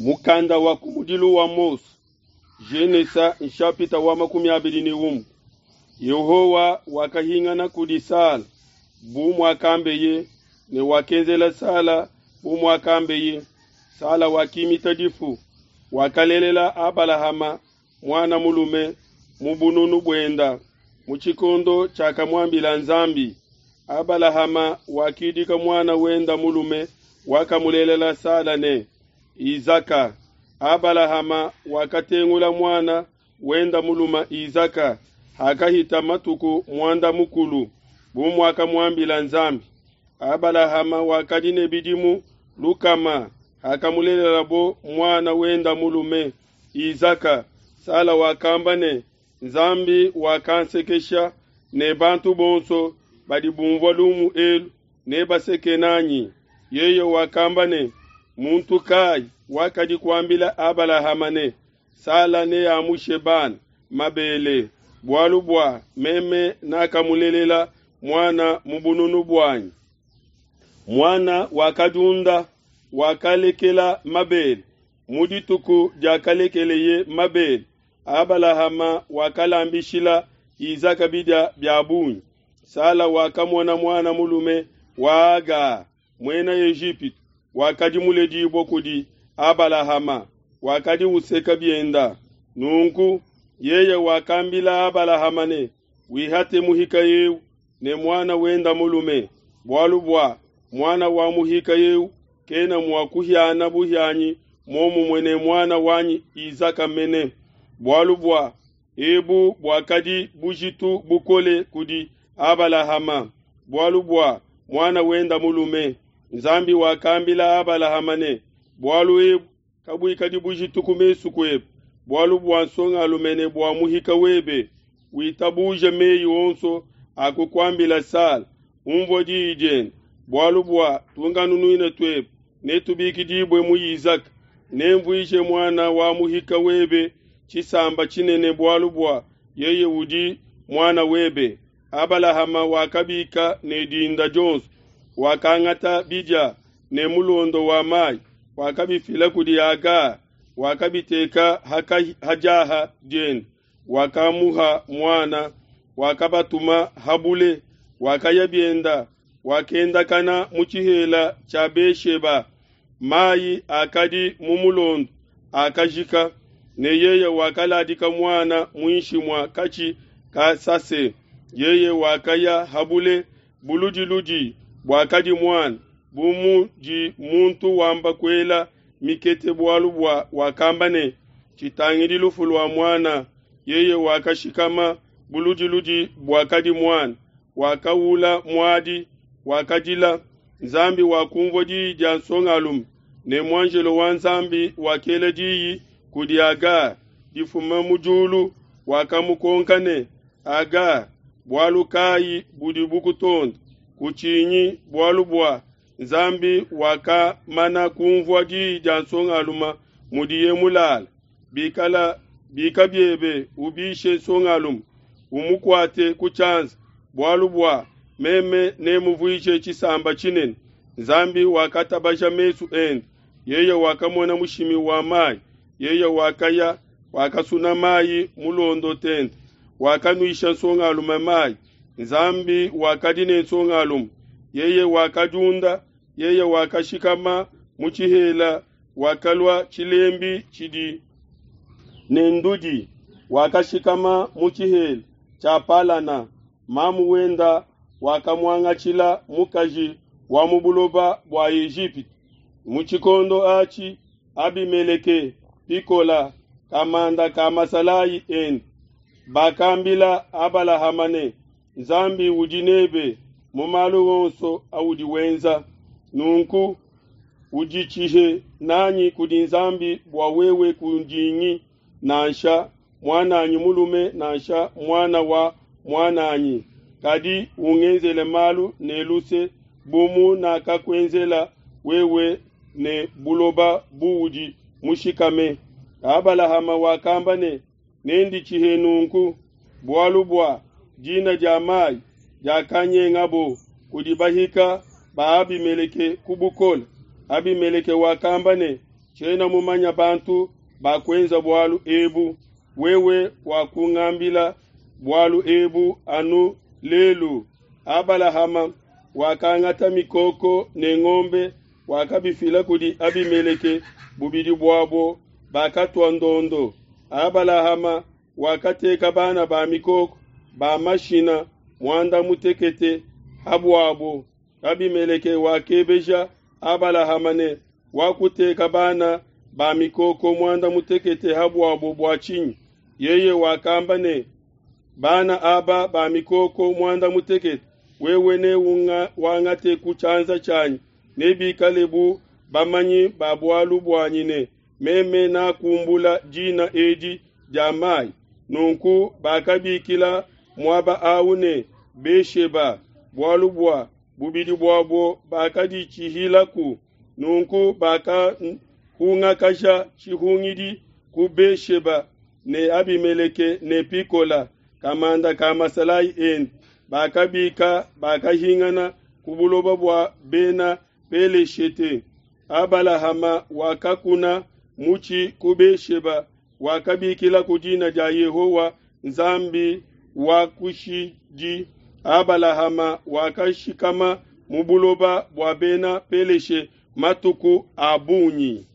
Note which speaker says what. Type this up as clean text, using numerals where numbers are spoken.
Speaker 1: Mukanda wa kumudilu wa Mose, Genesa nshapita wa 21. Yehowa wakahingana kudi Sala bu muakambeye, ne wakenzela Sala bu muakambeye. Sala wakimita difu, wakalelela Abalahama muana mulume mu bununu buenda mu tshikondo tshiakamuambila Nzambi. Abalahama wakidika muana wenda mulume wakamulelela Sala ne, Isaka. Abalahama wakatengula muana wenda mulume Isaka hakahita matuku muanda mukulu bu muakamuambila Nzambi. Abalahama wakadi ne bidimu lukama hakamulelelabo muana wenda mulume Isaka. Sala wakamba ne, Nzambi wakansekesha, ne bantu bonso badi bumvua lumu elu nebaseke nanyi. Yeye wakamba ne, Muntu kai wakadi kuambila Abalahama ne, Sala neamushe bana mabele, bualu bua meme nakamulelela muana mu bununu buanyi. Muana wakadiunda, wakalekela mabele. Mu dituku diakalekeleye mabele, Abalahama wakalambishila Isaka bidia bia bungi. Sala wakamona muana mulume wa Haga, muena Ejipitu, wakadi muledibue kudi Abalahama, wakadi useka bienda. Nunku yeye wakambila Abalahama ne, Wihate muhika eu ne muana wenda mulume, bualu bua muana wa muhika eu kena mua kuhiana buhianyi muomumue ne muana wanyi Isaka mene. Bualu bua ebu buakadi bujitu bukole kudi Abalahama, bualu bua muana wenda mulume. Nzambi wakambila Abalahama ne, Bualu ebu kabuikadi bujitu ku mesu kuebe, bualu bua nsongalume ne bua muhika webe. Witabuje meyi onso akukuambila Sala, unvue diyi diende, bualu bua tunkanunuina tuebe netubikidibue mu Isaka. Nenvuije muana wa muhika webe tshisamba tshinene, bualu bua yeye udi muana webe. Abalahama wakabika ne dinda dionso, wakangata bidia ne mulondo wa mai, wakabifila kudi Haga, wakabiteka ha diaha diende, wakamuha muana, wakabatuma ha bule, wakaya bienda, wakendakana mu tshihela tshia Be-sheba. Mai akadi mu mulondo akajika, ne yeye wakaladika muana muinshi mua katshi ka sase. Yeye wakaya ha bule buludiludi buakadi muana, bu mudi muntu wamba kuela mikete, bualu bua wakamba ne, Tshitangidi lufu lua muana. Yeye wakashikama buludiludi buakadi muana, wakawula muadi, wakadila. Nzambi wakumvua diyi dia nsongalume, ne muanjelo wa Nzambi wakela diyi kudi Haga difuma mu diulu, wakamukonka ne, Haga, bualu kai budi bukutonda? Kutshinyi, bualu bua Nzambi wakamana kumvua diyi dia nsongalume mudiye mulala. Bikala bika biebe, ubishe nsongalume, umukuate ku tshianza, bualu bua meme nemuvuije tshisamba tshinene. Nzambi wakatabaja mesu ende, yeye wakamona mushimi wa mai. Yeye wakaya, wakasuna mai mulondo tente, wakanuisha nsongalume mai. Nzambi wakadi ne nsongalume, yeye wakadiunda, yeye wakashikama mu tshihela, wakalua tshilembi tshidi ne ndudi, wakashikama mu tshihela tshia Palana. Mamu wenda wakamuangatshila mukaji wa mu buloba bua Ejipitu. Mu tshikondo atshi Abimeleke Pikola, kamanda ka masalayi ende, bakambila Abalahama ne, Nzambi udi nebe mu malu onso audi wenza. Nunku uditshihe nanyi kudi Nzambi bua wewe kundingi nansha muananyi mulume nansha muana wa muananyi, kadi ungenzele malu ne luse bu munakakuenzela wewe ne buloba buudi mushikame. Abalahama wakamba ne, Nenditshihe nunku, bualu bua dina dia mai diakanyengabo kudi bahika ba Abimeleke ku bukole. Abimeleke wakamba ne, Tshiena mumanye bantu bakuenza bualu ebu, wewe wakungambila bualu ebu anu lelu. Abalahama wakangata mikoko ne ngombe, wakabifila kudi Abimeleke, bubidi buabo bakatua ndondo. Abalahama wakateka bana ba mikoko ba mashina muanda mutekete ha buabo. Abimeleke wakebeja Abalahama ne, Wakuteka bana ba mikoko muanda mutekete ha buabo bua tshinyi? Yeye wakamba ne, Bana aba ba mikoko muanda mutekete wewe ne wangate ku tshianza tshianyi nebikale bu bamanyi ba bualu buanyi ne, Meme nakumbula dina edi dia mai. Nunku bakabikila muaba au ne, Be-sheba, bualu bua bubidi buabo bakaditshihilaku. Nunku bakahungakasha tshihungidi ku Be-sheba ne Abimeleke ne Pikola, kamanda ka masalayi ende, bakabika, bakahingana ku buloba bua Bena Peleshete. Abalahama wakakuna mutshi ku Be-sheba, wakabikilaku dina dia Yehowa Nzambi wa kushidi. Abalahama wakashikama mu buloba bua Bena Peleshe matuku a bungi.